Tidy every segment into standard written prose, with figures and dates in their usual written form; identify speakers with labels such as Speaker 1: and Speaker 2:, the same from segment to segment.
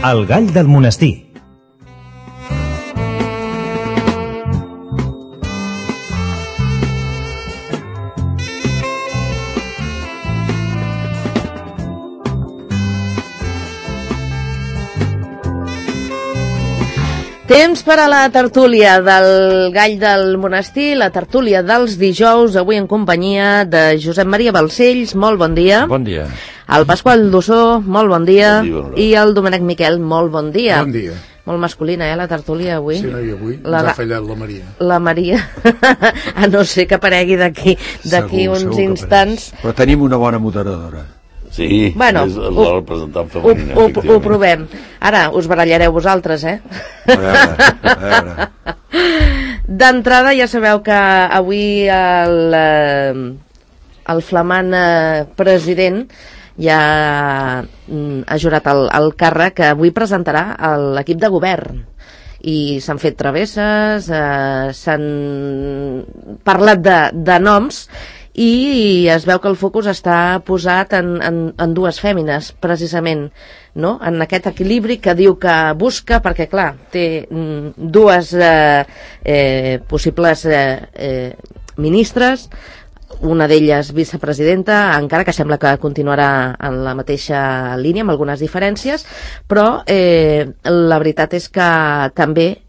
Speaker 1: El gall del monestir.
Speaker 2: Temps per a la tertúlia del Gall del Monestir, la tertúlia dels dijous, avui en companyia de Josep Maria Balcells, molt bon dia.
Speaker 3: Bon dia.
Speaker 2: El Pasqual Dossó, molt bon dia.
Speaker 4: Bon dia, bon dia.
Speaker 2: I el Domènec Miquel, molt bon dia.
Speaker 5: Bon dia.
Speaker 2: Molt masculina, la tertúlia avui.
Speaker 5: Sí, no, i avui ens ha fallat la Maria.
Speaker 2: La Maria, a no ser que aparegui d'aquí uns instants.
Speaker 3: Però tenim una bona moderadora.
Speaker 4: Sí,
Speaker 2: Bueno,
Speaker 4: és la representant femenina.
Speaker 2: Ho provem. Ara us barallareu vosaltres,
Speaker 3: A veure.
Speaker 2: D'entrada ja sabeu que avui el flamant president ja ha jurat el càrrec que avui presentarà l'equip de govern. I s'han fet travesses, s'han parlat de noms, i es veu que el focus està posat en dues fèmines, precisament, no? En aquest equilibri que diu que busca, perquè clar, té dues possibles ministres, una d'elles vicepresidenta, encara que sembla que continuarà en la mateixa línia, amb algunes diferències, però la veritat és que també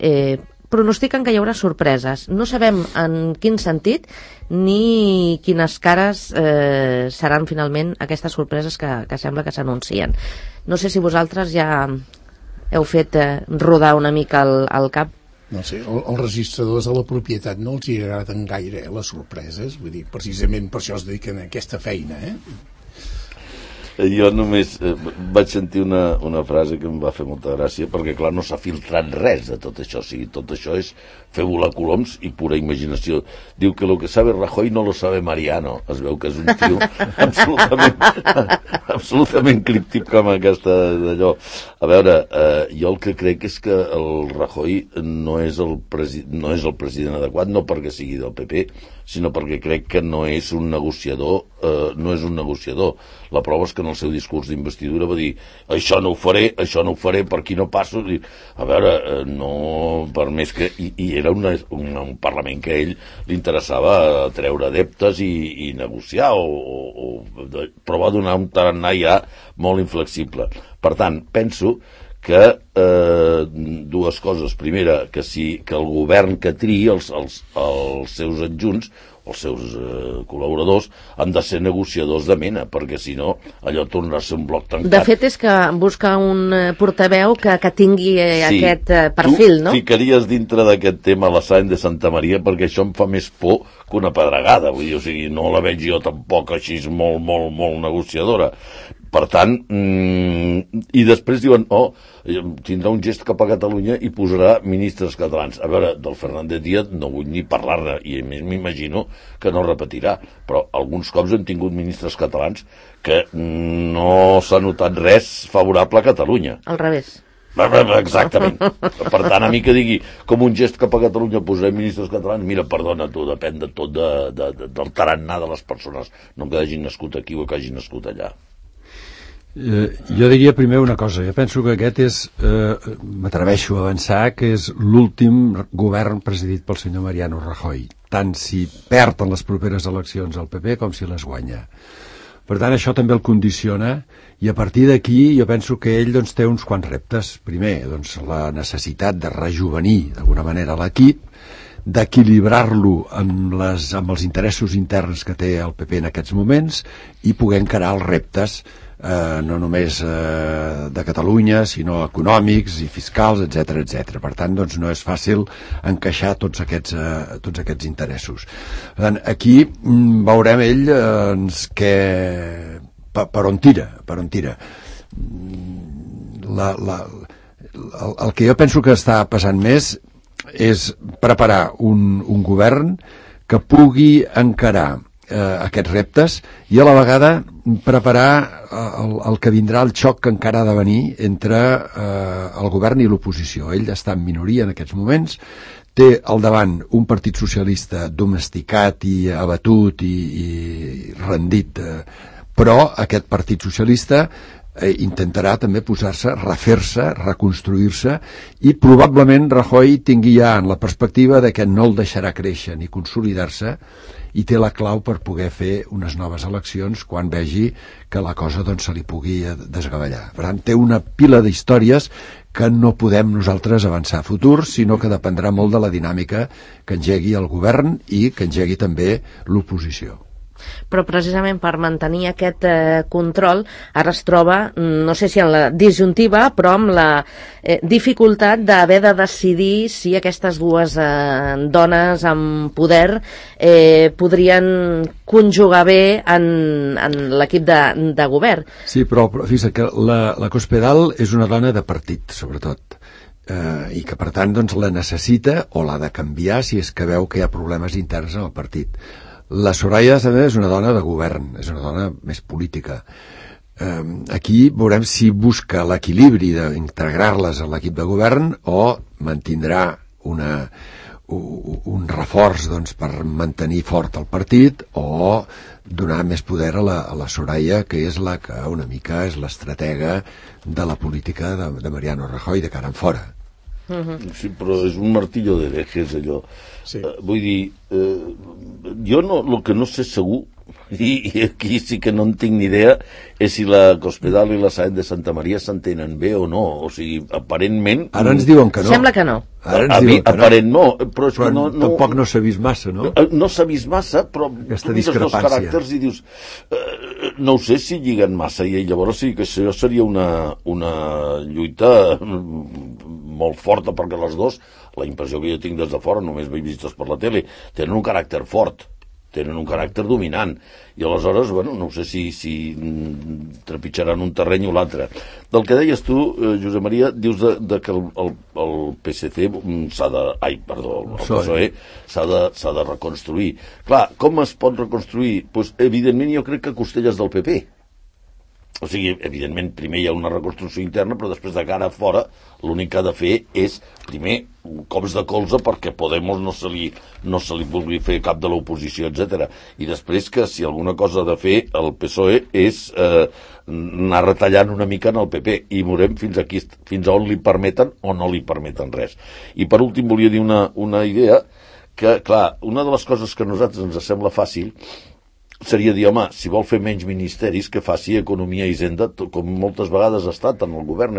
Speaker 2: pronostiquen que hi haurà sorpreses. No sabem en quin sentit ni quines cares seran finalment aquestes sorpreses que sembla que s'anuncien. No sé si vosaltres ja heu fet rodar una mica el cap.
Speaker 5: No sé, els registradors de la propietat no els hi agraden gaire les sorpreses, vull dir, precisament per això es dediquen a aquesta feina,
Speaker 4: Jo només vaig sentir una frase que em va fer molta gràcia, perquè clar, no s'ha filtrat res de tot això, o sigui, tot això és fer volar coloms i pura imaginació. Diu que lo que sabe Rajoy no lo sabe Mariano. Es veu que és un tio absolutament críptic com aquesta d'allò. A veure, jo el que crec és que el Rajoy no és el president adequat, no perquè sigui del PP, sinó perquè crec que no és un negociador, La prova és que en el seu discurs d'investidura va dir això no ho faré, per aquí no passo. A veure, no, per més que... I era un Parlament que a ell li interessava treure adeptes i negociar, però va donar un tarannà ja molt inflexible. Per tant, penso que dues coses. Primera, que el govern que triï els seus adjunts, els seus col·laboradors, han de ser negociadors de mena, perquè si no allò tornarà a ser un bloc tancat.
Speaker 2: De fet és que busca un portaveu que tingui aquest perfil, no?
Speaker 4: Tu ficaries dintre d'aquest tema la Sáenz de Santa Maria, perquè això em fa més por que una pedregada, vull dir, o sigui, no la veig jo tampoc així molt negociadora. Per tant, i després diuen, tindrà un gest cap a Catalunya i posarà ministres catalans. A veure, del Fernández Díaz no vull ni parlar-ne, i a més m'imagino que no repetirà, però alguns cops hem tingut ministres catalans que no s'ha notat res favorable a Catalunya.
Speaker 2: Al revés.
Speaker 4: Exactament. Per tant, a mi que digui com un gest cap a Catalunya posarem ministres catalans, mira, perdona, tu, depèn de tot del tarannà de les persones, no que hagin nascut aquí o que hagin nascut allà.
Speaker 3: Jo diria primer una cosa. Jo penso que aquest és, m'atreveixo a avançar, que és l'últim govern presidit pel senyor Mariano Rajoy, tant si perd en les properes eleccions el PP com si les guanya. Per tant, això també el condiciona, i a partir d'aquí jo penso que ell té uns quants reptes. Primer, la necessitat de rejuvenir d'alguna manera l'equip, d'equilibrar-lo amb els interessos interns que té el PP en aquests moments i poder encarar els reptes no només de Catalunya, sinó econòmics i fiscals, etc. Per tant, no és fàcil encaixar tots aquests interessos. Per tant, aquí veurem ell per on tira. El que jo penso que està passant més és preparar un govern que pugui encarar aquests reptes i a la vegada preparar el que vindrà, el xoc que encara ha de venir entre el govern i l'oposició. Ell està en minoria en aquests moments, té al davant un partit socialista domesticat i abatut i rendit, però aquest partit socialista intentarà també posar-se, refer-se, reconstruir-se, i probablement Rajoy tingui ja en la perspectiva de que no el deixarà créixer ni consolidar-se, i té la clau per poder fer unes noves eleccions quan vegi que la cosa doncs, se li pugui desgavellar. Per tant, té una pila d'històries que no podem nosaltres avançar a futur, sinó que dependrà molt de la dinàmica que engegui el govern i que engegui també l'oposició.
Speaker 2: Però precisament per mantenir aquest control ara es troba, no sé si en la disjuntiva, però amb la dificultat d'haver de decidir si aquestes dues dones amb poder podrien conjugar bé en l'equip de govern.
Speaker 3: Sí, però fixa't que la Cospedal és una dona de partit, sobretot, i que per tant doncs, la necessita o l'ha de canviar si és que veu que hi ha problemes interns en el partit. La Soraya també és una dona de govern, és una dona més política. Aquí veurem si busca l'equilibri d'integrar-les a l'equip de govern o mantindrà un reforç doncs, per mantenir fort el partit, o donar més poder a la Soraya, que és la que una mica és l'estratega de la política de Mariano Rajoy de cara en fora.
Speaker 4: Sí, però és un martillo de herejes, allò. Sí. Vull dir, jo el que no sé segur, i aquí sí que no en tinc ni idea, és si la Cospedal i la Sáenz de Santa María s'entenen bé o no. O sigui, aparentment...
Speaker 3: Ara ens diuen que no.
Speaker 2: Sembla que no.
Speaker 4: Aparent no, però és
Speaker 3: que
Speaker 4: no,
Speaker 3: tampoc no s'ha vist massa, no?
Speaker 4: No s'ha vist massa, però
Speaker 3: aquesta
Speaker 4: tu mires els
Speaker 3: discrepància.
Speaker 4: caràcters i dius no ho sé si lliguen massa, i llavors sí que això seria una lluita molt forta, perquè les dos, la impressió que jo tinc des de fora, només m'he vistes per la tele, tenen un caràcter fort, tenen un caràcter dominant, i aleshores, bueno, no sé si trepitjaran un terreny o l'altre. Del que deies tu, Josep Maria, dius que el PSC el PSOE s'ha de reconstruir. Clar, com es pot reconstruir? Pues, evidentment, jo crec que costelles del PP. O sigui, evidentment, primer hi ha una reconstrucció interna, però després de cara a fora l'únic que ha de fer és, primer, cops de colze perquè Podemos no se li vulgui fer cap de l'oposició, etc. I després que si alguna cosa ha de fer el PSOE és anar retallant una mica en el PP, i veurem fins a on li permeten o no li permeten res. I per últim volia dir una idea que, clar, una de les coses que a nosaltres ens sembla fàcil seria dir, home, si vol fer menys ministeris, que faci Economia i Hisenda, com moltes vegades ha estat en el govern.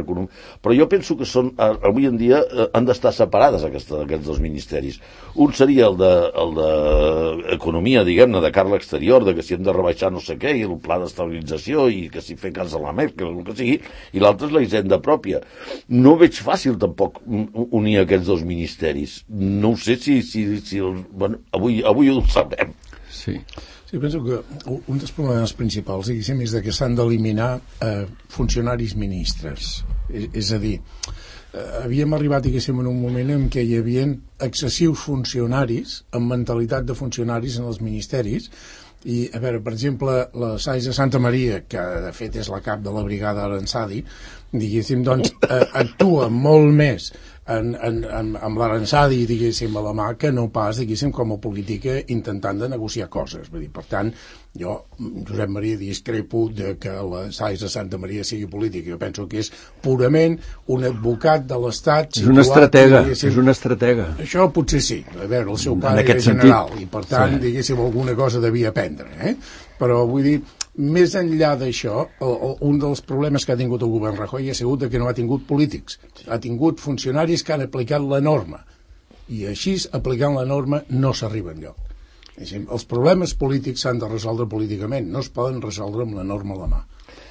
Speaker 4: Però jo penso que avui en dia han d'estar separades aquests dos ministeris. Un seria el d'Economia, diguem-ne, de cara a l'exterior, de que si hem de rebaixar no sé què, i el pla d'estabilització, i que si fer cas a la Merkel, el que sigui, i l'altre és la Hisenda pròpia. No veig fàcil, tampoc, unir aquests dos ministeris. No ho sé si bueno, avui ho sabem.
Speaker 3: Sí.
Speaker 5: Sí, penso que un dels problemes principals, diguéssim, és que s'han d'eliminar funcionaris ministres. És a dir, havíem arribat, diguéssim, en un moment en què hi havia excessius funcionaris amb mentalitat de funcionaris en els ministeris. I, a veure, per exemple, la Sáenz de Santa María, que de fet és la cap de la brigada Aranzadi, diguéssim, doncs, actua molt més amb l'Aranzadi, diguéssim, a la mà, que no pas, diguéssim, com a política intentant de negociar coses. Vull dir, per tant, jo, Josep Maria, discrepo de que la Sáenz de Santa Maria sigui política. Jo penso que és purament un advocat de l'Estat.
Speaker 3: És una estratega, és una estratega.
Speaker 5: Això potser sí. A veure, el seu pare era general i, per tant, diguéssim, alguna cosa devia aprendre. Però, vull dir, més enllà d'això, un dels problemes que ha tingut el govern Rajoy ha sigut que no ha tingut polítics. Ha tingut funcionaris que han aplicat la norma. I així, aplicant la norma, no s'arriba enlloc. Els problemes polítics s'han de resoldre políticament, no es poden resoldre amb la norma a la mà.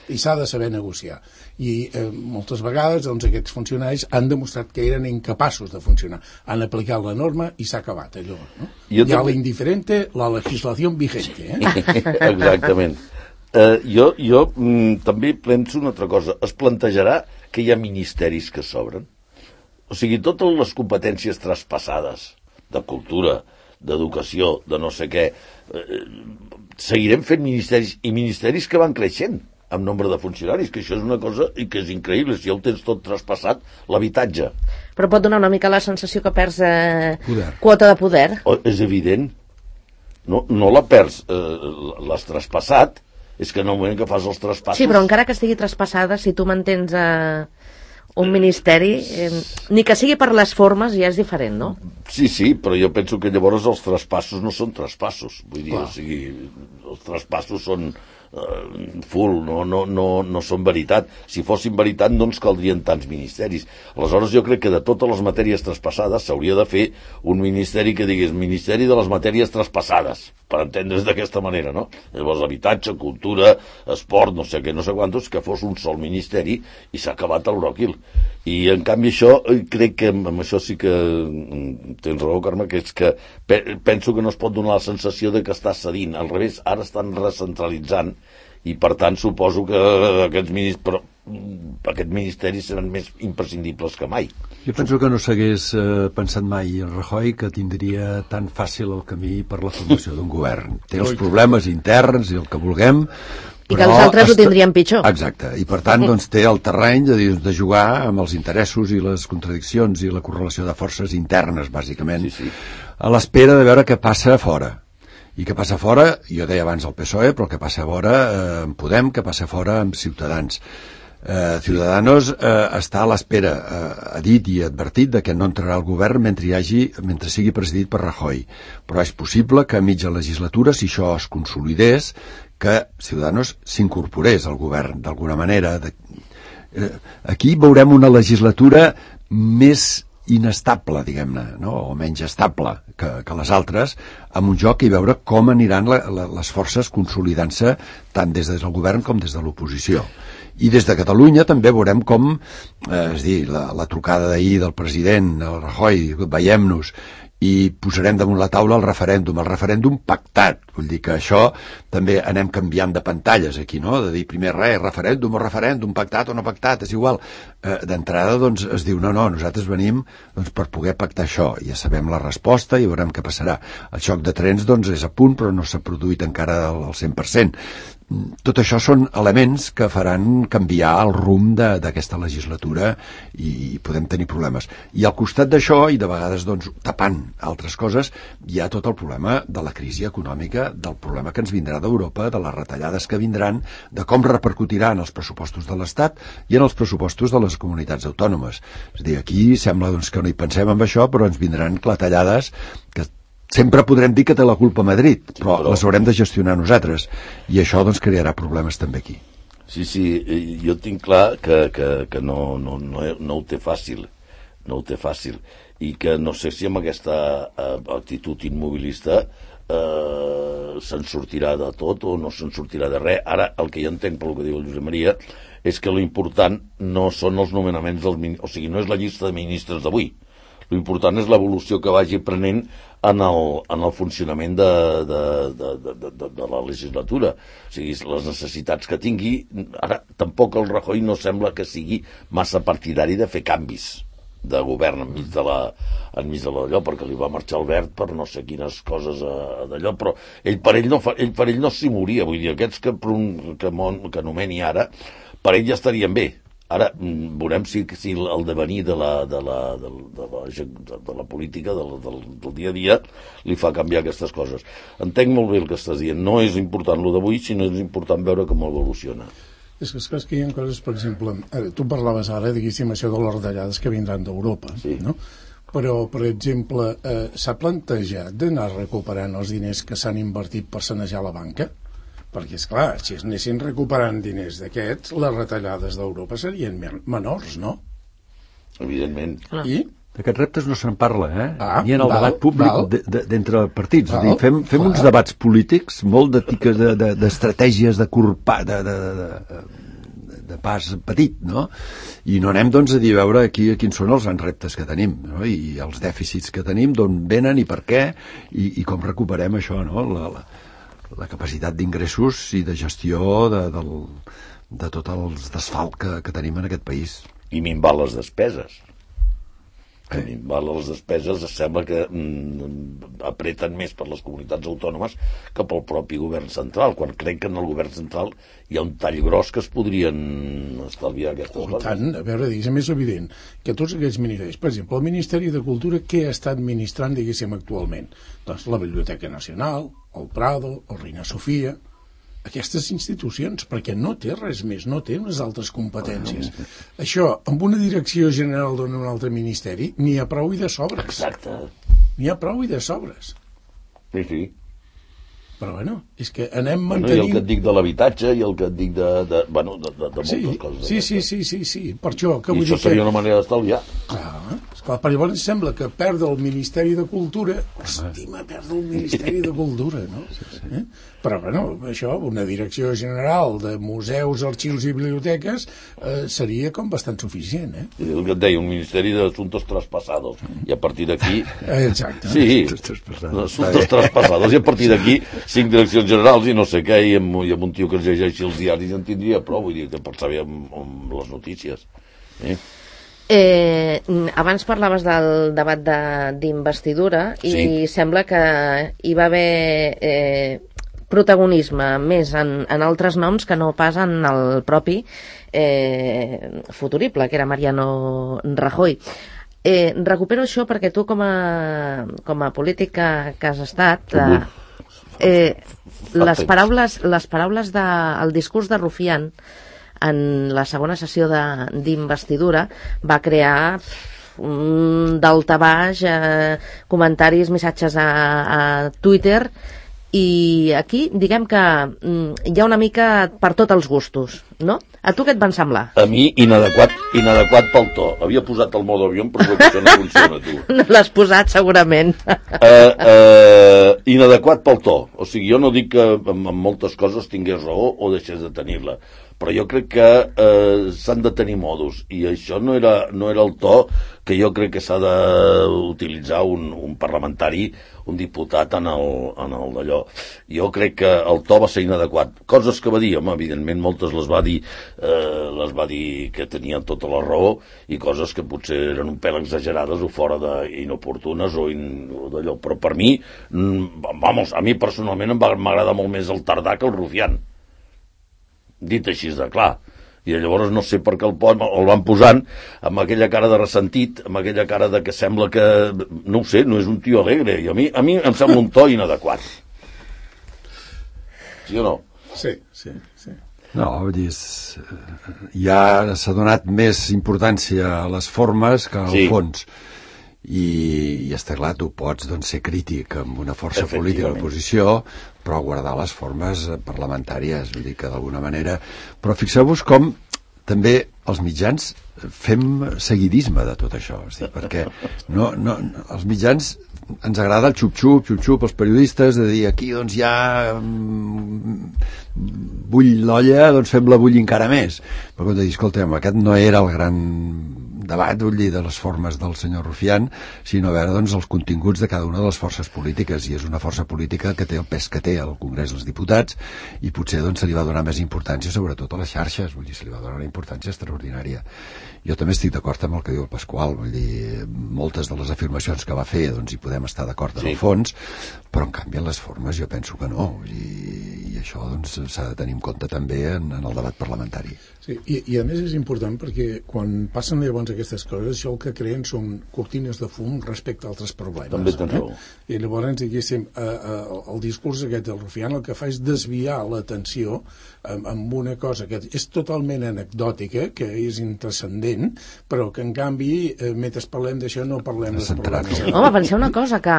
Speaker 5: I s'ha de saber negociar. I moltes vegades doncs, aquests funcionaris han demostrat que eren incapaços de funcionar. Han aplicat la norma i s'ha acabat allò. No? Hi ha l'indiferente, la legislació vigente.
Speaker 4: Exactament. Jo també penso una altra cosa. Es plantejarà que hi ha ministeris que s'obren? O sigui, totes les competències traspassades de cultura, d'educació, de no sé què, seguirem fent ministeris, i ministeris que van creixent amb nombre de funcionaris, que això és una cosa i que és increïble, si ja ho tens tot traspassat, l'habitatge.
Speaker 2: Però pot donar una mica la sensació que perds quota de poder.
Speaker 4: És evident. No la perds, l'has traspassat, És que en el moment que fas els traspassos...
Speaker 2: Sí, però encara que estigui traspassada, si tu mantens un ministeri, ni que sigui per les formes, ja és diferent, no?
Speaker 4: Sí, però jo penso que llavors els traspassos no són traspassos. Vull dir, o sigui, els traspassos són full, no són veritat. Si fossin veritat no ens caldrien tants ministeris. Aleshores jo crec que de totes les matèries traspassades s'hauria de fer un ministeri que digués Ministeri de les matèries traspassades, per entendre's d'aquesta manera, no? Llavors habitatge, cultura, esport, no sé què, no sé quantos, que fos un sol ministeri i s'ha acabat el bròquil. I en canvi això, crec que amb això sí que tens raó, Carme, que és que penso que no es pot donar la sensació de que està cedint. Al revés, ara estan recentralitzant i per tant suposo que aquests ministeris seran més imprescindibles que mai.
Speaker 3: Jo penso que no s'hagués pensat mai en Rajoy que tindria tan fàcil el camí per la formació d'un govern. Té els problemes interns i el que vulguem,
Speaker 2: i que els altres ho tindrien pitjor.
Speaker 3: Exacte, i per tant doncs, té el terreny de jugar amb els interessos i les contradiccions i la correlació de forces internes, bàsicament, a l'espera de veure què passa a fora. I què passa fora, jo deia abans el PSOE, però què passa fora amb Podem, què passa fora amb Ciutadans. Ciudadanos està a l'espera, ha dit i advertit de que no entrarà al govern mentre sigui presidit per Rajoy, però és possible que a mitja legislatura, si això es consolidés, que Ciudadanos s'incorporés al govern d'alguna manera. Aquí veurem una legislatura més inestable, diguem-ne, no? O menys estable que les altres, amb un joc i veure com aniran les forces consolidant-se tant des del govern com des de l'oposició. I des de Catalunya també veurem com, és dir, la trucada d'ahir del president, el Rajoy, veiem-nos, i posarem damunt la taula el referèndum pactat. Vull dir que això també anem canviant de pantalles aquí, no? De dir primer referèndum pactat o no pactat, és igual. D'entrada doncs es diu no, nosaltres venim per poder pactar això. Ja sabem la resposta i veurem què passarà. El xoc de trens doncs és a punt però no s'ha produït encara al 100%. Tot això són elements que faran canviar el rumb d'aquesta legislatura i podem tenir problemes. I al costat d'això, i de vegades doncs, tapant altres coses, hi ha tot el problema de la crisi econòmica, del problema que ens vindrà d'Europa, de les retallades que vindran, de com repercutirà en els pressupostos de l'Estat i en els pressupostos de les comunitats autònomes. És a dir, aquí sembla doncs, que no hi pensem en això, però ens vindran clatellades que sempre podrem dir que té la culpa Madrid, però les haurem de gestionar nosaltres, i això doncs crearà problemes també aquí.
Speaker 4: Sí, jo tinc clar que no ho té fàcil, i que no sé si amb aquesta actitud immobilista se'n sortirà de tot o no se'n sortirà de res. Ara, el que jo entenc pel que diu el Josep Maria és que l'important no són els nomenaments o sigui, no és la llista de ministres d'avui. L'important és l'evolució que vagi prenent en el funcionament de la legislatura. O sigui, les necessitats que tingui. Ara, tampoc el Rajoy no sembla que sigui massa partidari de fer canvis de govern enmig de l'allò, perquè li va marxar el Verd per no sé quines coses d'allò, però per ell no s'hi moria. Vull dir, aquests que nomeni ara, per ell ja estarien bé. Ara veurem si el devenir de la política, del dia a dia, li fa canviar aquestes coses. Entenc molt bé el que estàs dient. No és important el d'avui, sinó és important veure com evoluciona.
Speaker 5: És que hi ha coses, per exemple, tu parlaves ara, diguéssim, això de les retallades que vindran d'Europa, no? Però, per exemple, s'ha plantejat d'anar recuperant els diners que s'han invertit per sanejar la banca? Perquè, esclar, si es anessin recuperant diners d'aquests, les retallades d'Europa serien menors, no?
Speaker 4: Evidentment.
Speaker 5: I?
Speaker 3: D'aquests reptes no se'n parla, ni en el debat públic d'entre partits. Fem uns debats polítics molt d'estratègies de pas petit, no? I no anem, doncs, a dir, a veure quins són els grans reptes que tenim, no? I els dèficits que tenim, d'on venen i per què, i com recuperem això, no? La capacitat d'ingressos i de gestió de tot el desfalt que tenim en aquest país.
Speaker 4: I minvar les despeses. Minvar les despeses sembla que apreten més per les comunitats autònomes que pel propi govern central, quan crec que en el govern central hi ha un tall gros que es podrien estalviar aquestes coses.
Speaker 5: Tant, a veure, diguéssim, és evident que tots aquests ministeris, per exemple, el Ministeri de Cultura, què està administrant, diguéssim, actualment? Doncs la Biblioteca Nacional, el Prado, el Reina Sofia, aquestes institucions, perquè no té res més, no té unes altres competències. Això, amb una direcció general d'un altre ministeri, n'hi ha prou i de sobres.
Speaker 4: Exacte.
Speaker 5: N'hi ha prou i de sobres.
Speaker 4: Sí.
Speaker 5: Però bueno, és que anem
Speaker 4: I
Speaker 5: mantenint...
Speaker 4: el que et dic de l'habitatge i el que et dic de moltes coses.
Speaker 5: Sí. Per això, que
Speaker 4: I
Speaker 5: vull
Speaker 4: això
Speaker 5: dir que...
Speaker 4: seria una manera d'estalviar.
Speaker 5: Clar, per llavors sembla que perdre el Ministeri de Cultura, estima perdre el Ministeri de Cultura, no? Sí. Però, bueno, això, una direcció general de museus, arxius i biblioteques seria com bastant suficient,
Speaker 4: I el que et deia, un Ministeri d'Assuntos Traspassados. I a partir d'aquí...
Speaker 5: Exacte.
Speaker 4: Sí, Assuntos Traspassados. I a partir d'aquí, 5 direccions generals i no sé què, i amb un tio que es llegeixi els diaris en tindria prou, vull dir, que per saber amb les notícies.
Speaker 2: Abans parlaves del debat d'investidura i sembla que hi va haver protagonisme més en altres noms que no pas en el propi futurible, que era Mariano Rajoy. Recupero això perquè tu com a política que has estat les paraules del discurs de Rufián en la segona sessió d'investidura va crear un daltabaix, comentaris, missatges a Twitter, i aquí diguem que hi ha una mica per tots els gustos, no? A tu què et van semblar?
Speaker 4: A mi, inadequat pel to. Havia posat el modo avió, però crec que això no funciona, tu.
Speaker 2: No l'has posat, segurament.
Speaker 4: Inadequat pel to. O sigui, jo no dic que en moltes coses tingués raó o deixés de tenir-la, però jo crec que s'han de tenir modos, i això no era el to que jo crec que s'ha d'utilitzar un parlamentari, un diputat en el d'allò. Jo crec que el to va ser inadequat. Coses que va dir, home, evidentment moltes les va dir que tenien tota la raó, i coses que potser eren un pèl exagerades o fora d'inoportunes o d'allò, però per mi, a mi personalment m'agrada molt més el Tardà que el Rufián, dit així de clar. I llavors no sé per què el van posant amb aquella cara de ressentit, amb aquella cara de que sembla que, no ho sé, no és un tio alegre, i a mi em sembla un to inadequat. Sí o no?
Speaker 5: Sí.
Speaker 3: No, vull dir, ja s'ha donat més importància a les formes que al fons. I està clar, tu pots ser crític amb una força política de l'oposició, però guardar les formes parlamentàries, vull dir que d'alguna manera... Però fixeu-vos com també els mitjans fem seguidisme de tot això, perquè els mitjans ens agrada el xup-xup, els periodistes, de dir aquí doncs ja bull l'olla, doncs fem-la bullir encara més. Però com de dir, escolta'm, aquest no era el gran debat, vull dir, de les formes del senyor Rufián, sinó a veure doncs els continguts de cada una de les forces polítiques, i és una força política que té el pes que té al Congrés dels Diputats, i potser doncs se li va donar més importància sobretot a les xarxes, vull dir, se li va donar una importància extraordinària. Jo també estic d'acord amb el que diu el Pasqual, vull dir, moltes de les afirmacions que va fer doncs hi podem estar d'acord en el fons, però en canvi en les formes jo penso que no, i això doncs s'ha de tenir en compte també en el debat parlamentari.
Speaker 5: Sí, i a més és important perquè quan passen llavors aquestes coses, això el que creen són cortines de fum respecte a altres problemes.
Speaker 4: També tens raó.
Speaker 5: I llavors, diguéssim, el discurs aquest del Rufián el que fa és desviar l'atenció amb una cosa que és totalment anecdòtica, que és intranscendent, però que en canvi, mentre parlem d'això, no parlem dels problemes.
Speaker 2: Home, penseu una cosa, que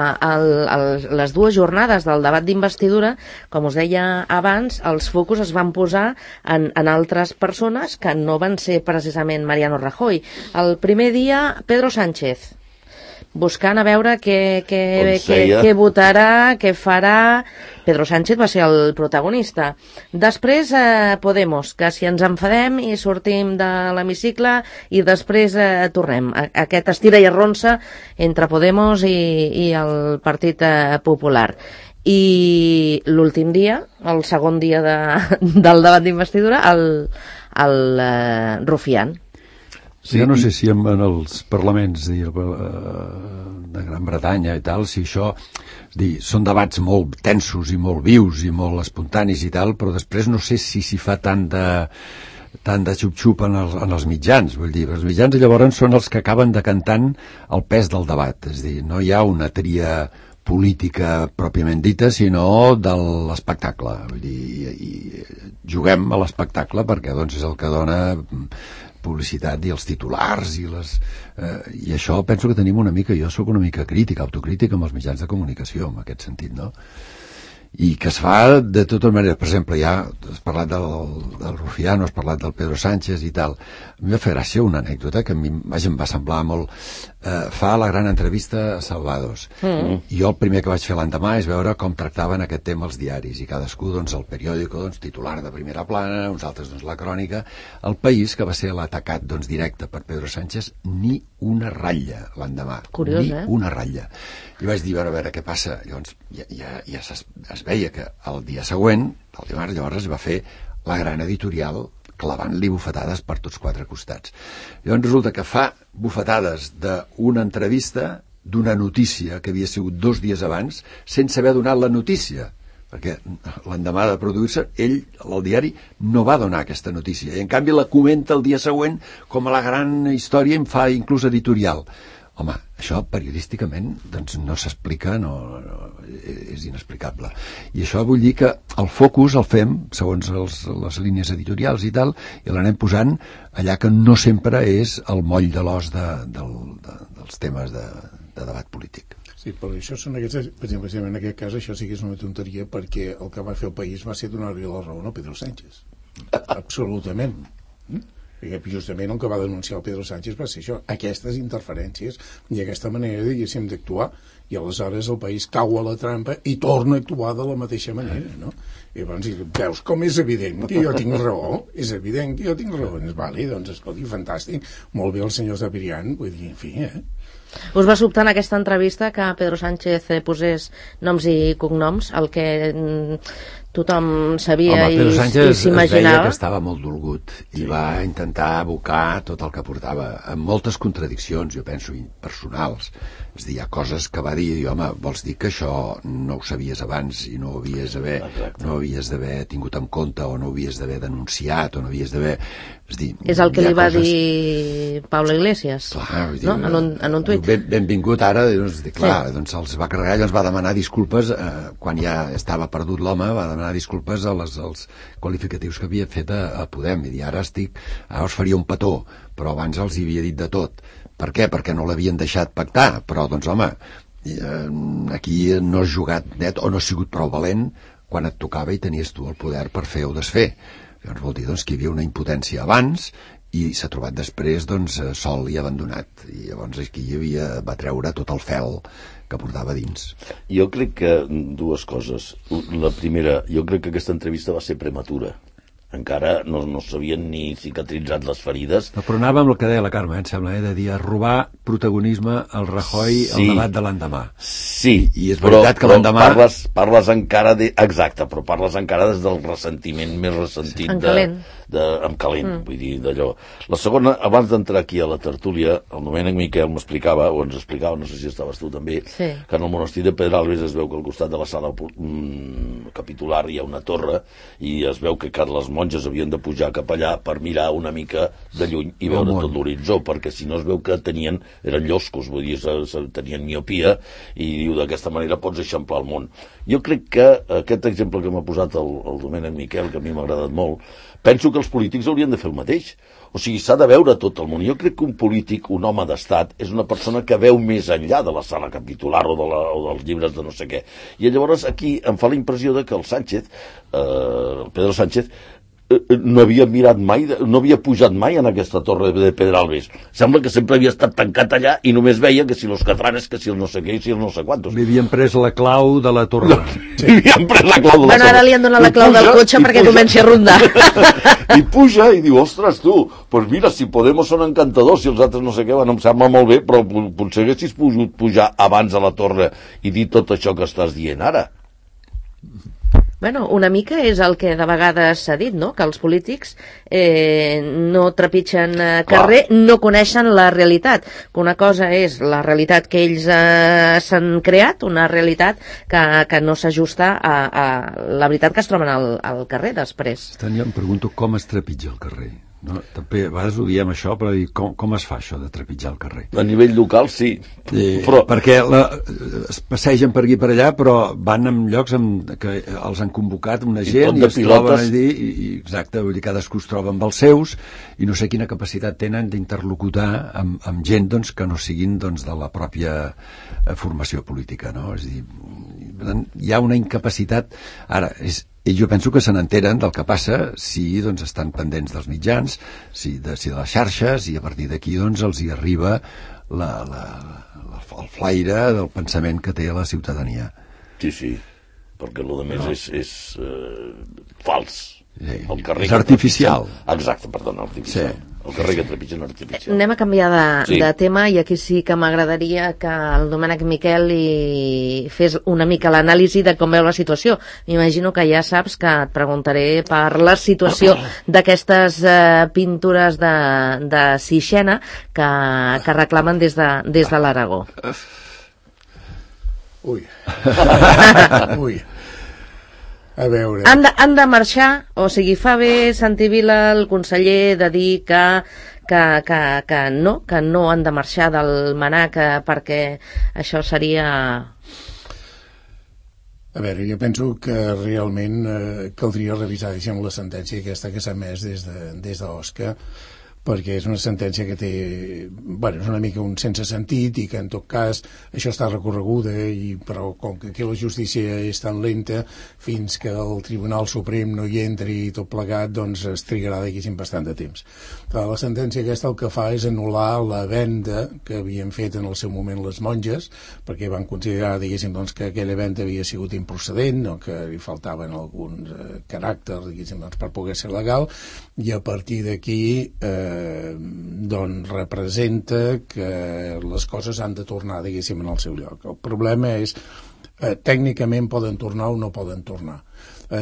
Speaker 2: les dues jornades del debat d'investidura, com us deia abans, els focus es van posar en altres persones que no van ser precisament Mariano Rajoy. El primer dia, Pedro Sánchez, buscant a veure què votarà, què farà. Pedro Sánchez va ser el protagonista. Després Podemos, que si ens enfadem i sortim de l'hemicicle i després tornem. Aquest estira i arronsa entre Podemos i el Partit Popular. I l'últim dia, el segon dia del debat d'investidura, el Rufián.
Speaker 3: Sí, jo no sé si en els parlaments de Gran Bretanya i tal, si això són debats molt tensos i molt vius i molt espontanis i tal, però després no sé si s'hi fa tant de xup-xup en els mitjans. Vull dir, els mitjans llavors són els que acaben decantant el pes del debat, és a dir, no hi ha una tria política pròpiament dita, sinó de l'espectacle. Vull dir, i juguem a l'espectacle perquè doncs, és el que dona publicitat i els titulars i això penso que tenim una mica, jo sóc una mica crítica, autocrítica amb els mitjans de comunicació en aquest sentit, no? I que es fa de totes maneres. Per exemple, ja has parlat del Rufiano, has parlat del Pedro Sánchez i tal. A mi va fer gràcia una anècdota que a mi em va semblar molt... fa la gran entrevista a Salvados. I jo el primer que vaig fer l'endemà és veure com tractaven aquest tema els diaris, i cadascú, doncs, el periòdico, doncs, titular de primera plana, uns altres, doncs, la crònica. El País, que va ser l'atacat, doncs, directe per Pedro Sánchez, ni una ratlla l'endemà.
Speaker 2: Curiós,
Speaker 3: ni una ratlla. I vaig dir, a veure què passa. Llavors, ja es veia que el dia següent, el dimarts, llavors es va fer la gran editorial clavant-li bufetades per tots quatre costats. Llavors resulta que fa bufetades d'una entrevista, d'una notícia que havia sigut 2 dies abans, sense haver donat la notícia, perquè l'endemà de produir-se, ell, el diari, no va donar aquesta notícia, i en canvi la comenta el dia següent com a la gran història, en fa inclús editorial. Home, això periodísticament doncs no s'explica, és inexplicable. I això vull dir que el focus el fem segons les línies editorials i tal, i l'anem posant allà que no sempre és el moll de l'os dels temes de debat polític.
Speaker 5: Sí, però això són aquests, per exemple, en aquest cas això sí que és una tonteria, perquè el que va fer el País va ser donar-li la raó a Pedro Sánchez. Absolutament. Perquè justament el que va denunciar el Pedro Sánchez va ser això, aquestes interferències i aquesta manera, diguéssim, d'actuar, i aleshores el País cau a la trampa i torna a actuar de la mateixa manera, no? I llavors veus com és evident que jo tinc raó, és evident que jo tinc raó, vale, doncs escolti, fantàstic, molt bé el senyor Sapirian, vull dir, en fi,
Speaker 2: Us va sobtar en aquesta entrevista que Pedro Sánchez posés noms i cognoms, el que tothom sabia.
Speaker 3: Home, Pedro Sánchez
Speaker 2: i s'imaginava.
Speaker 3: Es veia que estava molt dolgut i va intentar abocar tot el que portava, amb moltes contradiccions, jo penso, personals. És a dir, hi ha coses que va dir, i home, vols dir que això no ho sabies abans i no ho havies d'haver tingut en compte, o no ho havies d'haver denunciat, o no havies d'haver...
Speaker 2: És el que li va dir Pablo Iglesias,
Speaker 3: clar,
Speaker 2: no? En un tuit.
Speaker 3: Benvingut ara, clar, doncs els va carregar, llavors va demanar disculpes, quan ja estava perdut l'home, va demanar disculpes als qualificatius que havia fet a Podem, i dir, ara us faria un petó, però abans els hi havia dit de tot. Per què? Perquè no l'havien deixat pactar, però doncs home, aquí no has jugat net o no has sigut prou valent quan et tocava i tenies tu el poder per fer o desfer. Llavors vol dir doncs, que hi havia una impotència abans i s'ha trobat després doncs, sol i abandonat, i llavors aquí va treure tot el fel que portava dins.
Speaker 4: Jo crec que dues coses. La primera, jo crec que aquesta entrevista va ser prematura. Encara no s'havien ni cicatritzat les ferides.
Speaker 3: Però anava amb el que deia la Carme, em sembla, de dir a robar protagonisme al Rajoy al debat de l'endemà.
Speaker 4: Sí,
Speaker 3: i és veritat que l'endemà...
Speaker 4: Parles encara exacte, però parles encara des del ressentiment més ressentit.
Speaker 2: En calent.
Speaker 4: En calent, vull dir, d'allò. La segona, abans d'entrar aquí a la tertúlia, el Domènec Miquel m'explicava, o ens explicava, no sé si estaves tu també, que en el monestir de Pedralbes es veu que al costat de la sala capitular hi ha una torre, i es veu que les monges havien de pujar cap allà per mirar una mica de lluny i veure tot l'horitzó, perquè si no es veu que eren lloscos, vull dir, tenien miopia, i diu, d'aquesta manera pots eixamplar el món. Jo crec que aquest exemple que m'ha posat el Domènec Miquel, que a mi m'ha agradat molt, penso que els polítics haurien de fer el mateix. O sigui, s'ha de veure tot el món. Jo crec que un polític, un home d'estat, és una persona que veu més enllà de la sala capitular o dels llibres de no sé què. I llavors aquí em fa la impressió de que el Pedro Sánchez, no havia mirat mai, no havia pujat mai en aquesta torre de Pedralbes. Sembla que sempre havia estat tancat allà i només veia que si los catranes, que si els no sé què i si els no sé quantos.
Speaker 3: Li havien pres la clau de la torre.
Speaker 4: Li havien pres la clau de la torre.
Speaker 2: Ara li han donat la clau del cotxe perquè comenci a rondar.
Speaker 4: I puja i diu, ostres, tu, doncs mira, si Podemos són encantadors, si els altres no sé què, em sembla molt bé, però potser haguessis pogut pujar abans a la torre i dir tot això que estàs dient ara.
Speaker 2: Bueno, una mica és el que de vegades s'ha dit, no? Que els polítics no trepitgen carrer, no coneixen la realitat. Que una cosa és la realitat que ells s'han creat, una realitat que no s'ajusta a la veritat que es troben al carrer després.
Speaker 3: Jo em pregunto com es trepitja el carrer. No? També a vegades ho diem això, però dir, com es fa això de trepitjar el carrer?
Speaker 4: A nivell local sí, però...
Speaker 3: Perquè es passegen per aquí per allà, però van en llocs que els han convocat una gent i es troben allí, exacte, vull dir, cadascú es troba amb els seus i no sé quina capacitat tenen d'interlocutar amb gent doncs, que no siguin doncs, de la pròpia formació política, no? És a dir, hi ha una incapacitat. Ara, jo penso que se n'enteren del que passa si doncs, estan pendents dels mitjans, si de les xarxes, i a partir d'aquí doncs, els hi arriba el flaire del pensament que té la ciutadania.
Speaker 4: Sí, perquè el més és fals.
Speaker 3: Sí. És artificial.
Speaker 4: Exacte, perdona, artificial. Sí. El carrer que trepitgen artificial.
Speaker 2: Anem a canviar de tema, i aquí sí que m'agradaria que el Domènec Miquel fes una mica l'anàlisi de com veu la situació. M'imagino que ja saps que et preguntaré per la situació d'aquestes pintures de Sixena que reclamen des de l'Aragó.
Speaker 5: Ui. A veure...
Speaker 2: Han de marxar, o sigui, fa bé Santi Vila, el conseller, de dir que no han de marxar del MNAC perquè això seria...
Speaker 5: A veure, jo penso que realment caldria revisar, diguem, la sentència aquesta que s'ha emès des de l'OSCA, perquè és una sentència que té, bueno, és una mica un sense sentit i que en tot cas això està recorreguda, però com que aquí la justícia és tan lenta, fins que el Tribunal Suprem no hi entri i tot plegat, doncs es trigarà diguéssim bastant de temps. La sentència aquesta el que fa és anul·lar la venda que havien fet en el seu moment les monges, perquè van considerar, diguéssim, doncs, que aquella venda havia sigut improcedent o que li faltaven alguns caràcters, diguéssim, doncs, per poder ser legal, i a partir d'aquí doncs representa que les coses han de tornar, diguéssim, en el seu lloc. El problema és tècnicament poden tornar o no poden tornar.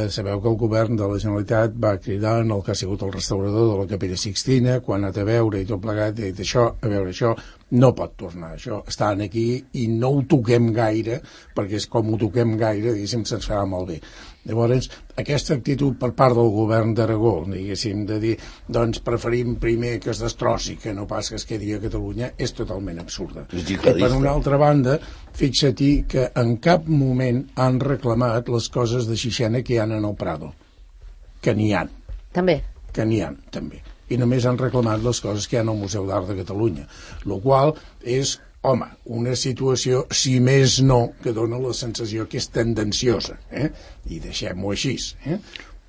Speaker 5: Sabeu que el govern de la Generalitat va cridar en el que ha sigut el restaurador de la Capella Sixtina, quan ha anat a veure i tot plegat, i ha dit això, a veure, això no pot tornar, això està aquí i no ho toquem gaire, perquè és com ho toquem gaire, diguéssim, se'ns farà molt bé. Llavors, aquesta actitud per part del govern d'Aragó, diguéssim, de dir, doncs preferim primer que es destrossi que no pas que es quedi a Catalunya, és totalment absurda. I per una altra banda, fixa-t'hi que en cap moment han reclamat les coses de Sixena que hi ha en el Prado, que n'hi ha.
Speaker 2: També.
Speaker 5: Que n'hi ha, també. I només han reclamat les coses que hi ha al Museu d'Art de Catalunya, el qual és, home, una situació, si més no, que dona la sensació que és tendenciosa, i deixem-ho així.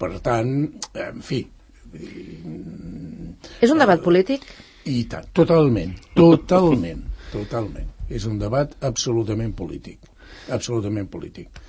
Speaker 5: Per tant, en fi...
Speaker 2: És un debat polític?
Speaker 5: I tant, totalment. És un debat absolutament polític. Absolutament polític.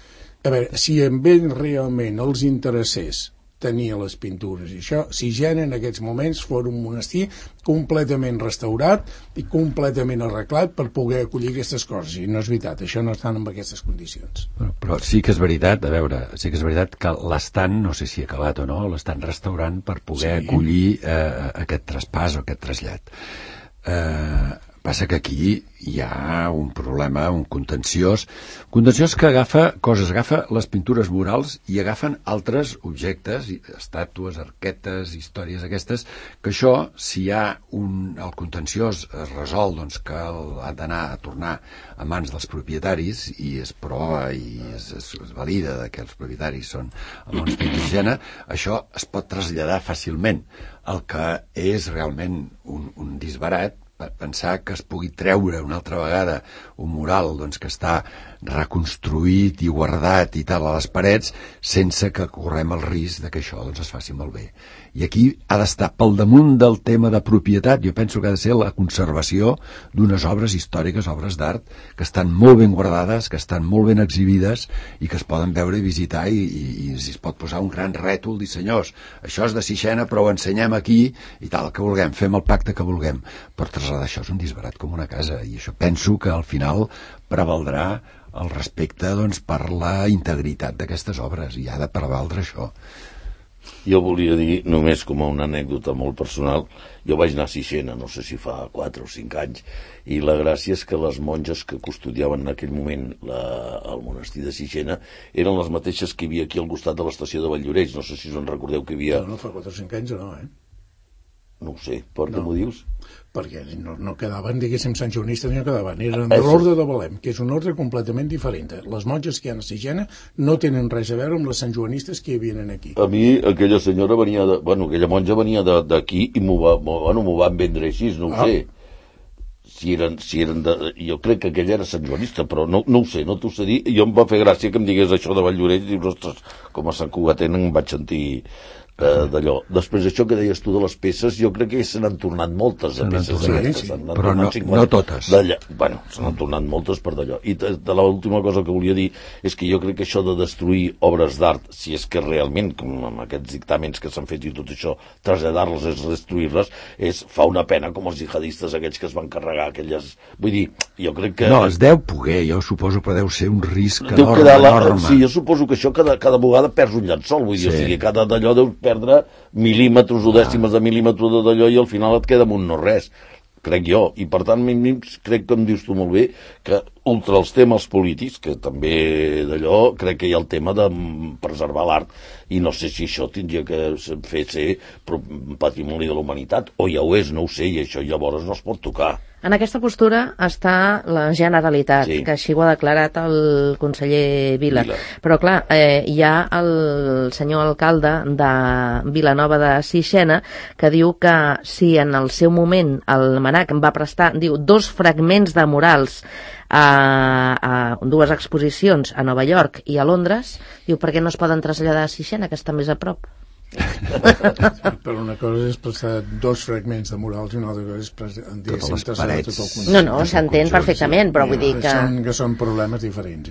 Speaker 5: A veure, si en ells realment els interessés tenia les pintures i això, Sixena en aquests moments fos un monestir completament restaurat i completament arreglat per poder acollir aquestes coses, i no és veritat, això no estan en aquestes condicions.
Speaker 3: Però sí que és veritat, a veure, sí que és veritat que l'estan, no sé si ha acabat o no, l'estan restaurant per poder acollir aquest traspàs o aquest trasllat. Passa que aquí hi ha un problema, un contenciós que agafa les pintures murals i agafen altres objectes, estàtues, arquetes, històries aquestes, que això, si hi ha el contenciós es resol, doncs que ha d'anar a tornar a mans dels propietaris i es prova i es valida que els propietaris són el monestir de Sixena, això es pot traslladar fàcilment. El que és realment un disbarat pensar que es pugui treure una altra vegada un mural doncs, que està reconstruït i guardat i tal a les parets sense que correm el risc de que això doncs, es faci malbé. I aquí ha d'estar pel damunt del tema de propietat, jo penso que ha de ser la conservació d'unes obres històriques, obres d'art, que estan molt ben guardades, que estan molt ben exhibides i que es poden veure i visitar i es pot posar un gran rètol, dir senyors, això és de Sixena però ho ensenyem aquí i tal, que vulguem, fem el pacte que vulguem, però traslladar això és un disbarat com una casa i això penso que al final prevaldrà el respecte doncs, per la integritat d'aquestes obres i ha de prevaldre això.
Speaker 4: Jo volia dir, només com una anècdota molt personal, jo vaig anar a Sixena, no sé si fa 4 o 5 anys, i la gràcia és que les monges que custodiaven en aquell moment el monestir de Sixena eren les mateixes que hi havia aquí al costat de l'estació de Valldoreix, no sé si us en recordeu que hi havia...
Speaker 5: No, fa 4 o 5 anys no,
Speaker 4: No ho sé, per què m'ho dius?
Speaker 5: Perquè no quedaven, diguéssim, santjoanistes, no quedaven, eren de l'ordre de Belém, que és un ordre completament diferent. Les monges que hi ha a Sixena no tenen res a veure amb les santjoanistes que hi havia aquí.
Speaker 4: A mi aquella senyora venia aquella monja venia d'aquí i m'ho van vendre així, no ho sé. Si eren jo crec que aquella era santjoanista, però no ho sé, no t'ho sé dir. Jo em va fer gràcia que em digués això de Valldoreix i dius, ostres, com a Sant Cugatent em vaig sentir d'allò. Després això que deies tu de les peces, jo crec que se n'han tornat moltes de peces d'aquestes,
Speaker 3: però no totes.
Speaker 4: Bueno, se n'han tornat moltes per d'allò. I de l'última cosa que volia dir és que jo crec que això de destruir obres d'art, si és que realment, com amb aquests dictàmens que s'han fet i tot això, traslladar-les és destruir-les, fa una pena com els jihadistes aquells que es van carregar aquelles... Vull dir, jo crec que...
Speaker 3: No, es deu poder, jo suposo que deu ser un risc enorme.
Speaker 4: Sí, jo suposo que això cada vegada perds un llençol, vull dir, o sigui, cada d'allò deu perdre mil·límetres o dècimes de mil·límetre d'allò i al final et queda amb un no res, crec jo, i per tant crec que em dius tu molt bé que ultra els temes polítics, que també d'allò crec que hi ha el tema de preservar l'art i no sé si això tindria que fer ser patrimoni de la humanitat o ja ho és, no ho sé, i això llavors no es pot tocar.
Speaker 2: En aquesta postura està la Generalitat, sí, que així ho ha declarat el conseller Vila. Però clar, hi ha el senyor alcalde de Vilanova de Sixena que diu que si en el seu moment el MNAC va prestar, diu, 2 fragments de murals a 2 exposicions a Nova York i a Londres, diu, per què no es poden traslladar a Sixena, que està més a prop?
Speaker 5: Però una cosa és prestar 2 fragments de murals i una altra cosa és
Speaker 3: totes les parets.
Speaker 2: No, s'entén perfectament, però vull dir que...
Speaker 5: Són problemes diferents,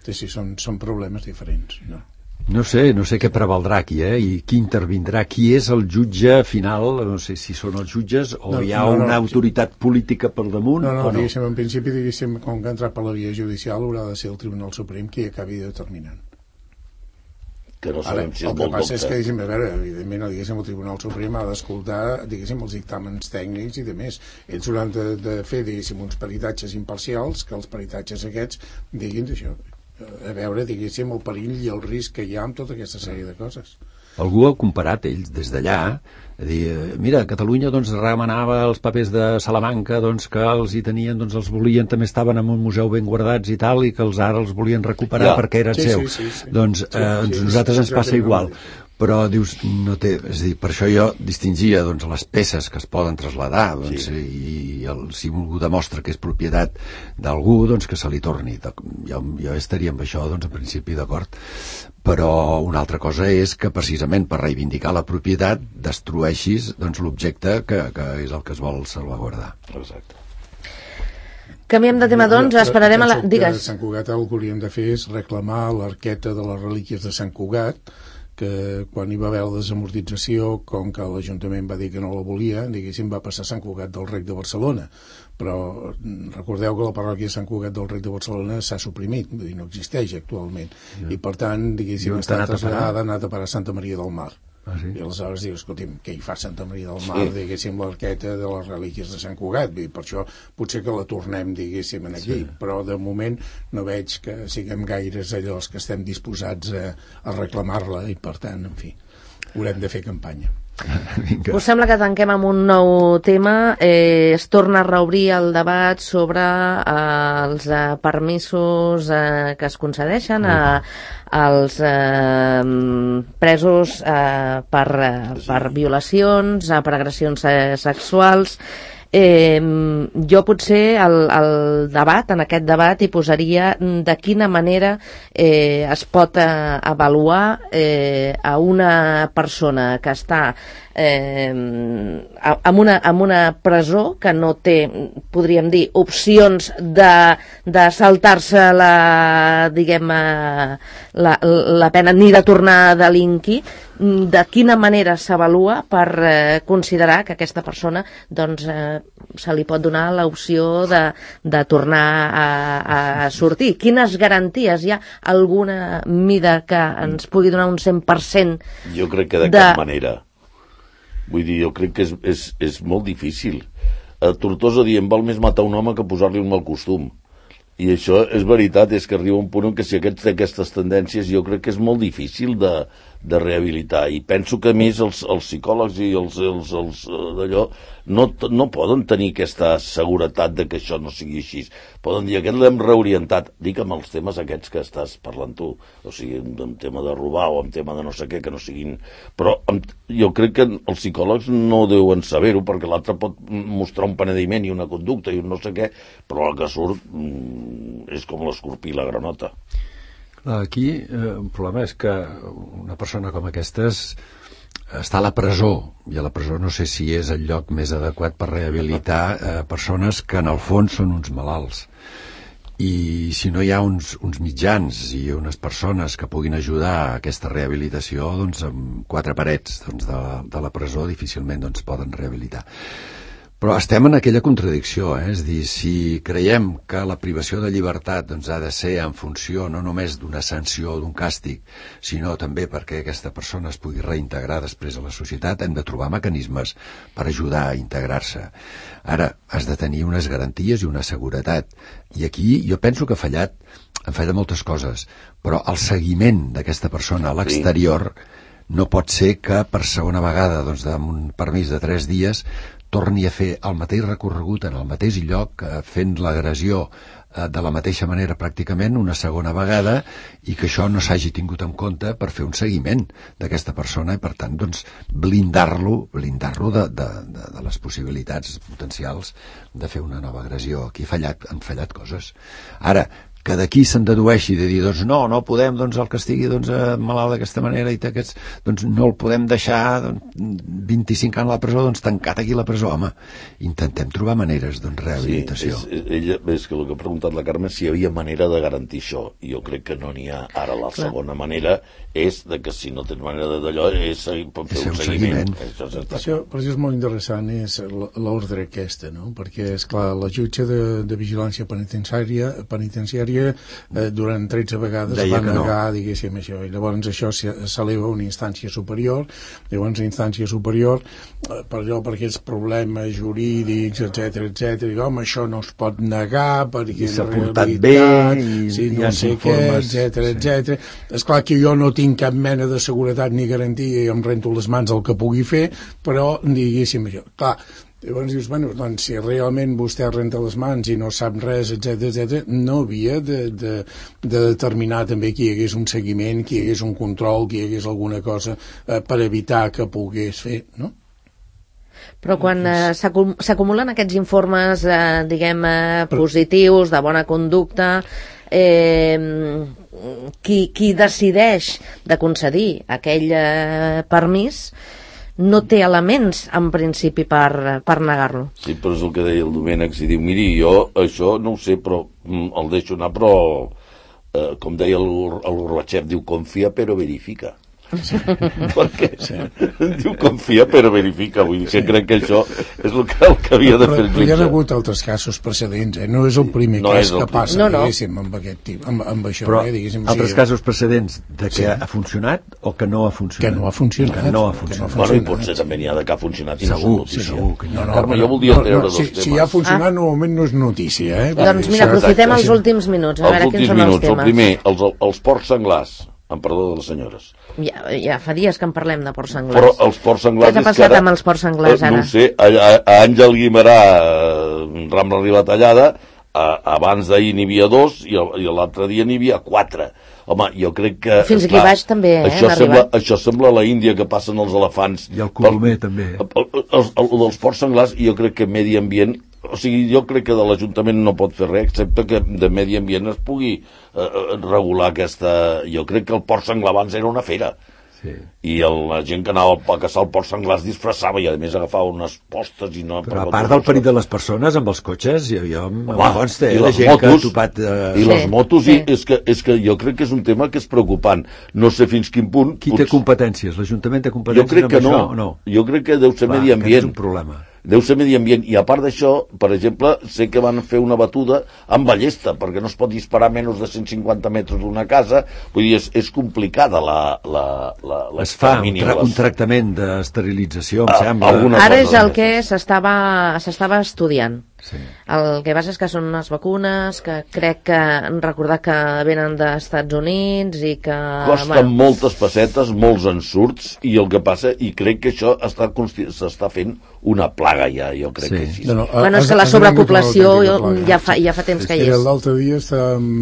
Speaker 5: Sí, són problemes diferents, no?
Speaker 3: No sé què prevaldrà aquí, i qui intervindrà, qui és el jutge final, no sé si són els jutges o hi ha una autoritat política per damunt.
Speaker 5: No, diguéssim, en principi, com que ha entrat per la via judicial haurà de ser el Tribunal Suprem qui acabi determinant.
Speaker 4: Que no sabem si és
Speaker 5: el que passa és que, a veure, evidentment, el Tribunal Suprem ha d'escoltar, els dictàmens tècnics i demés. Ells hauran de fer, uns peritatges imparcials, que els peritatges aquests diguin això, a veure, el perill i el risc que hi ha amb tota aquesta sèrie de coses.
Speaker 3: Algú ha comparat ells des d'allà, a dir, mira, Catalunya remenava els papers de Salamanca, que els hi tenien, els volien, també estaven en un museu ben guardats i tal, i que ara els volien recuperar perquè eren seus. Nosaltres ens passa igual. Però dius, no té, és a dir, per això jo distingia les peces que es poden traslladar i si algú demostra que és propietat d'algú, que se li torni. Jo estaria amb això, en principi, d'acord. Però una altra cosa és que precisament per reivindicar la propietat destrueixis l'objecte que és el que es vol salvaguardar.
Speaker 4: Exacte.
Speaker 2: Canviem de tema, esperarem a la... Digues.
Speaker 5: Sant Cugat el que hauríem de fer és reclamar l'arqueta de les relíquies de Sant Cugat, que quan hi va haver la desamortització, com que l'Ajuntament va dir que no la volia, va passar a Sant Cugat del Rec de Barcelona. Però recordeu que la parròquia de Sant Cugat del Rec de Barcelona s'ha suprimit, vull dir, no existeix actualment. I per tant, està traslladada, ha anat a parar a Santa Maria del Mar. I aleshores dius, escolti'm, què hi fa Santa Maria del Mar, l'arqueta de les relíquies de Sant Cugat? Per això potser que la tornem, aquí, però de moment no veig que siguem gaires allò que estem disposats a reclamar-la i per tant, en fi, haurem de fer campanya.
Speaker 2: Us sembla que tanquem amb un nou tema. Es torna a reobrir el debat sobre els permisos que es concedeixen als presos per violacions, per agressions sexuals. Jo potser en aquest debat hi posaria de quina manera es pot avaluar a una persona que està en una presó que no té, podríem dir, opcions de saltar-se la pena ni de tornar a delinquir. De quina manera s'avalua per considerar que aquesta persona se li pot donar l'opció de tornar a sortir? Quines garanties hi ha? Alguna mida que ens pugui donar un 100%?
Speaker 4: Jo crec que de cap manera. Vull dir, jo crec que és molt difícil. A Tortosa diem, val més matar un home que posar-li un mal costum. I això és veritat, és que arriba un punt en què si aquest té aquestes tendències jo crec que és molt difícil de de rehabilitar, i penso que a més els psicòlegs i els d'allò no poden tenir aquesta seguretat de que això no sigui així. Poden dir, aquest l'hem reorientat, dic amb els temes aquests que estàs parlant tu, o sigui, en tema de robar o en tema de no sé què, que no siguin... Però jo crec que els psicòlegs no deuen saber-ho, perquè l'altre pot mostrar un penediment i una conducta i un no sé què, però el que surt és com l'escorpí i la granota.
Speaker 3: Aquí un problema és que una persona com aquestes està a la presó, i a la presó no sé si és el lloc més adequat per rehabilitar persones que en el fons són uns malalts, i si no hi ha uns mitjans i unes persones que puguin ajudar a aquesta rehabilitació, doncs amb 4 parets de la presó difícilment poden rehabilitar. Però estem en aquella contradicció, és a dir, si creiem que la privació de llibertat ha de ser en funció no només d'una sanció o d'un càstig, sinó també perquè aquesta persona es pugui reintegrar després a la societat, hem de trobar mecanismes per ajudar a integrar-se. Ara, has de tenir unes garanties i una seguretat, i aquí jo penso que han fallat moltes coses, però el seguiment d'aquesta persona a l'exterior no pot ser que per segona vegada, amb un permís de 3 dies, torni a fer el mateix recorregut en el mateix lloc, fent l'agressió de la mateixa manera pràcticament una segona vegada, i que això no s'hagi tingut en compte per fer un seguiment d'aquesta persona i per tant blindar-lo de les possibilitats potencials de fer una nova agressió. Aquí han fallat coses. Ara, que d'aquí se'n dedueixi de dir, no podem, el que estigui malalt d'aquesta manera i no el podem deixar 25 anys a la presó, tancat aquí a la presó. Home, intentem trobar maneres de rehabilitació.
Speaker 4: Ella, és que el que ha preguntat la Carme si hi havia manera de garantir això, i jo crec que no n'hi ha. Ara la segona manera és de que si no tens manera d'allò és fer un seguiment.
Speaker 5: Per això és molt interessant és l'ordre aquesta, no? Perquè és clar, la jutge de vigilància penitenciària durant 13 vegades va negar, diguéssim, això, i llavors això s'eleva a una instància superior, llavors a instància superior per allò, per aquests problemes jurídics, etc, i home, això no es pot negar perquè
Speaker 3: s'ha portat bé
Speaker 5: si no sé què, etc. És clar que jo no tinc cap mena de seguretat ni garantia i em rento les mans el que pugui fer, però diguéssim això, clar. Llavors dius, si realment vostè renta les mans i no sap res, etc, no havia de determinar també que hi hagués un seguiment, que hi hagués un control, que hi hagués alguna cosa per evitar que pogués fer, no?
Speaker 2: Però quan s'acumulen aquests informes, positius, de bona conducta, qui decideix de concedir aquell permís no té elements, en principi, per negar-lo.
Speaker 4: Sí, però és el que deia el Domènec, si diu, miri, jo això no ho sé, però el deixo anar, però, com deia el Gorbachev, diu, confia però verifica. Perquè diu confia però verifica, vull dir que crec que això és el que havia de fer el jutge.
Speaker 5: Hi ha hagut altres casos precedents, no és el primer cas que passa, diguéssim, amb aquest tipus, amb això.
Speaker 3: Però altres casos precedents de que ha funcionat o que no ha funcionat?
Speaker 5: Que no ha funcionat.
Speaker 4: Bueno, i potser també n'hi ha de que ha funcionat i no és notícia.
Speaker 3: Segur.
Speaker 4: Carme, jo voldria treure dos temes.
Speaker 5: Si ha funcionat, normalment no és notícia.
Speaker 2: Doncs mira, aprofitem els últims minuts, a veure quins són els temes.
Speaker 4: El primer, els porcs senglars, amb perdó de les senyores.
Speaker 2: Ja fa dies que en parlem de porcs senglars.
Speaker 4: Però els porcs senglars...
Speaker 2: Què ha passat amb els porcs senglars, ara?
Speaker 4: No ho sé, a Àngel Guimerà, Rambla Ribatallada, abans d'ahir n'hi havia 2 i l'altre dia n'hi havia 4. Home, jo crec que...
Speaker 2: Fins aquí baix també,
Speaker 4: això sembla la Índia que passen els elefants.
Speaker 3: I el colomer també.
Speaker 4: El dels porcs senglars, jo crec que Medi Ambient... O sigui, jo crec que de l'Ajuntament no pot fer res, excepte que de Medi Ambient es pugui regular aquesta... Jo crec que el porc senglar abans era una fera. Sí. I la gent que anava a caçar el porc senglar es disfressava i a més agafava unes postes i no...
Speaker 3: Però a part del perill de les persones amb els cotxes, jo em consta la gent motos, que ha topat...
Speaker 4: I les motos, sí. És que jo crec que és un tema que és preocupant. No sé fins quin punt...
Speaker 3: Qui té competències? L'Ajuntament té competències?
Speaker 4: Jo crec que no. Jo crec que deu ser Medi Ambient.
Speaker 3: És un problema.
Speaker 4: Deu ser Medi Ambient, i a part d'això, per exemple, sé que van fer una batuda amb ballesta, perquè no es pot disparar menys de 150 metres d'una casa, vull dir, és complicada
Speaker 3: es fa un tractament d'esterilització, em sembla.
Speaker 2: Ara és el que s'estava estudiant.
Speaker 3: Sí.
Speaker 2: El que passa és que són unes vacunes que crec que recordar que venen d'Estats Units i que...
Speaker 4: Costen moltes pessetes, molts ensurts, i el que passa, i crec que això s'està fent una plaga ja, jo crec que sí.
Speaker 2: Bueno, és que la sobrepoblació ja fa temps que hi és.
Speaker 5: L'altre dia estàvem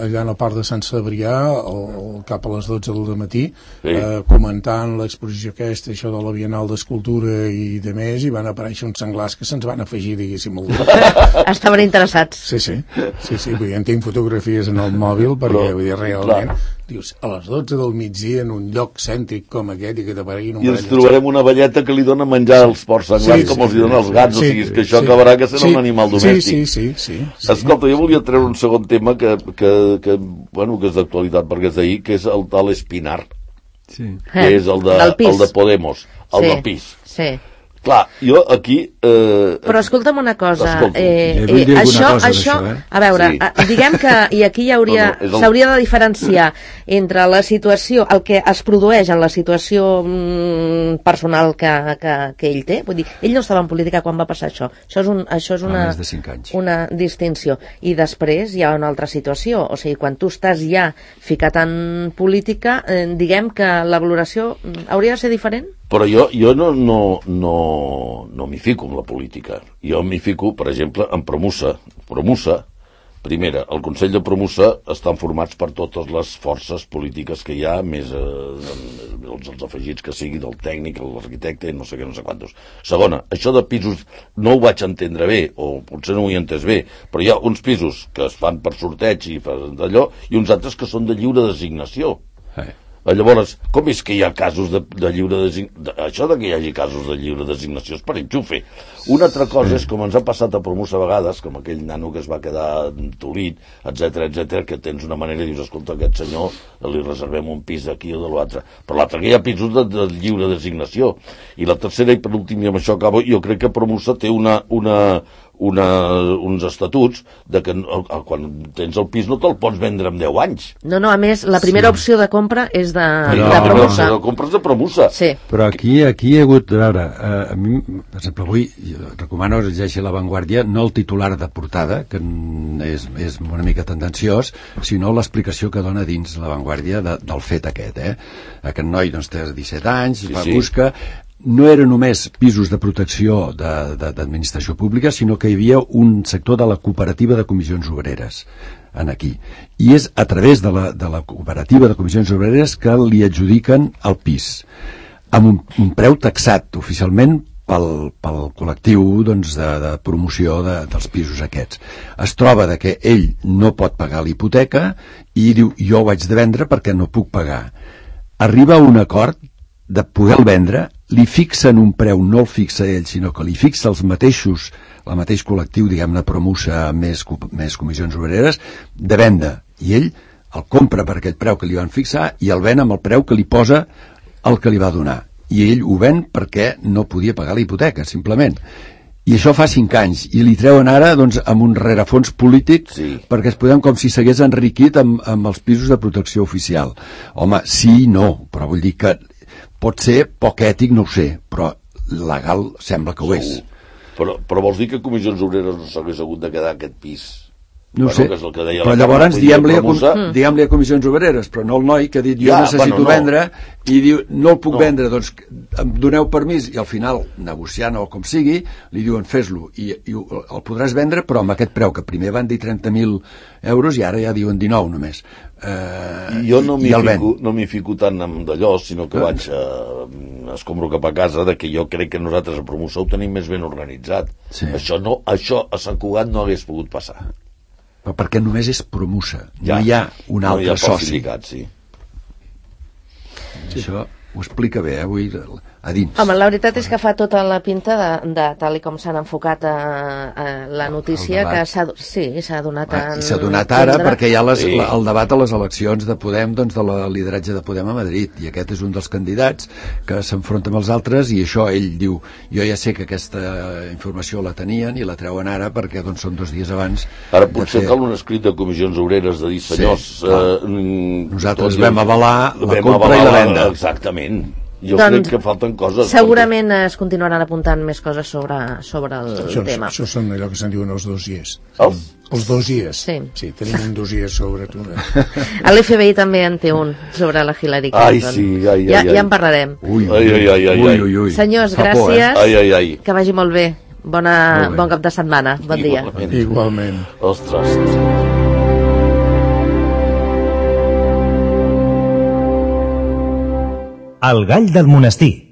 Speaker 5: allà a la part de Sant Cebrià, cap a les 12 del matí, comentant l'exposició aquesta, això de la Bienal d'Escultura i de més, i van aparèixer uns senglars que se'ns van afegir, diguéssim, al grup.
Speaker 2: Estaven interessats.
Speaker 5: Sí, vull dir, en tinc fotografies en el mòbil, perquè vull dir, realment, dius, a les 12 del migdia en un lloc cèntric com aquest i que t'apareguin un
Speaker 4: i ens trobarem una velleta que li dona menjar als porcs senglars com els hi dona als gats, o sigui, que això acabarà que serà un animal domèstic.
Speaker 5: Sí.
Speaker 4: Escolta, jo volia treure un segon tema que és d'actualitat perquè és d'ahir, que és el tal Espinar, que és el de Podemos, el del PIS.
Speaker 2: Sí.
Speaker 4: Clar, jo aquí...
Speaker 2: Però escolta'm una cosa, això, a veure, diguem que, i aquí s'hauria de diferenciar entre la situació, el que es produeix en la situació personal que ell té, vull dir, ell no estava en política quan va passar això és una distinció, i després hi ha una altra situació, o sigui, quan tu estàs ja ficat en política, diguem que la valoració hauria de ser diferent?
Speaker 4: Però jo no m'hi fico en la política. Jo m'hi fico, per exemple, en Promusa. Primera, el Consell de Promusa estan formats per totes les forces polítiques que hi ha, més els afegits que sigui del tècnic, l'arquitecte, no sé què, no sé quantos. Segona, això de pisos no ho vaig entendre bé, o potser no ho he entès bé, però hi ha uns pisos que es fan per sorteig i d'allò, i uns altres que són de lliure designació. Llavors, com és que hi ha casos de lliure designació? Això de que hi hagi casos de lliure designació és per enxufe. Una altra cosa és com ens ha passat a Promus a vegades, com aquell nano que es va quedar tolit, etc, que tens una manera i dius, escolta, aquest senyor li reservem un pis d'aquí o de l'altre. Però l'altre que hi ha pisos de lliure designació. I la tercera, i per últim, i amb això acabo, jo crec que Promusa té uns estatuts de que quan tens el pis no te'l pots vendre en 10 anys.
Speaker 2: No, a més, la primera opció de compra és de Promusa.
Speaker 4: La compra és de Promusa.
Speaker 2: Sí.
Speaker 3: Però aquí hi ha hagut, a veure, a mi, per exemple, avui recomano que llegeixi La Vanguardia, no el titular de portada, que és una mica tendenciós, sinó l'explicació que dona dins La Vanguardia del fet aquest. Aquest noi doncs, té 17 anys, busca... No era només pisos de protecció d'administració pública, sinó que hi havia un sector de la cooperativa de comissions obreres aquí. I és a través de la cooperativa de comissions obreres que li adjudiquen el pis, amb un preu taxat oficialment pel col·lectiu doncs, de promoció dels pisos aquests. Es troba que ell no pot pagar l'hipoteca i diu, jo ho haig de vendre perquè no puc pagar. Arriba a un acord de poder-lo vendre, li fixen un preu, no el fixa ell, sinó que li fixa el mateix col·lectiu, diguem-ne, Promusa més comissions obreres, de venda. I ell el compra per aquell preu que li van fixar i el ven amb el preu que li posa el que li va donar. I ell ho ven perquè no podia pagar la hipoteca, simplement. I això fa 5 anys, i li treuen ara doncs, amb un rerefons polític perquè es podem com si s'hagués enriquit amb els pisos de protecció oficial. Home, sí i no, però vull dir que pot ser poc ètic, no ho sé, però legal sembla que ho és.
Speaker 4: Però vols dir que Comissions Obreres no s'hagués hagut de quedar aquest pis?
Speaker 3: No sé, però llavors diguem-li a Comissions Obreres, però no el noi que ha dit jo necessito vendre i diu no el puc vendre, doncs em doneu permís, i al final negociant o com sigui, li diuen fes-lo i el podràs vendre però amb aquest preu que primer van dir 30.000 euros i ara ja diuen 19 només.
Speaker 4: Jo no m'hi fico tant amb d'allò, sinó que vaig escombro cap a casa de que jo crec que nosaltres a Promoció ho tenim més ben organitzat. Això a Sant Cugat no hagués pogut passar.
Speaker 3: Però perquè només és Promusa, no hi ha un altre soci. Això ho explica bé, avui a dins.
Speaker 2: Home, la veritat és que fa tota la pinta de tal i com s'han enfocat a la notícia que s'ha donat
Speaker 3: i s'ha donat ara perquè hi ha el debat a les eleccions de Podem, doncs de la lideratge de Podem a Madrid, i aquest és un dels candidats que s'enfronta amb els altres, i això ell diu, jo ja sé que aquesta informació la tenien i la treuen ara perquè doncs són 2 dies abans.
Speaker 4: Ara potser cal un escrit de Comissions Obreres de dir, senyors,
Speaker 3: nosaltres vam avalar la compra i la venda.
Speaker 4: Exactament. Jo crec que falten coses.
Speaker 2: Segurament es continuaran apuntant més coses sobre el tema.
Speaker 5: Això són allò que se'n diuen els dossiers.
Speaker 4: Els
Speaker 5: dossiers.
Speaker 2: Sí,
Speaker 5: tenim un dossier sobre tu.
Speaker 2: L'FBI també en té un sobre la Hillary Clinton.
Speaker 4: Ai, sí, ai.
Speaker 2: Ja en parlarem.
Speaker 3: Ui.
Speaker 2: Senyors, gràcies.
Speaker 4: Ai.
Speaker 2: Que vagi molt bé. Bon cap de setmana. Bon dia.
Speaker 5: Igualment.
Speaker 4: Ostres.
Speaker 1: El gall del monestir.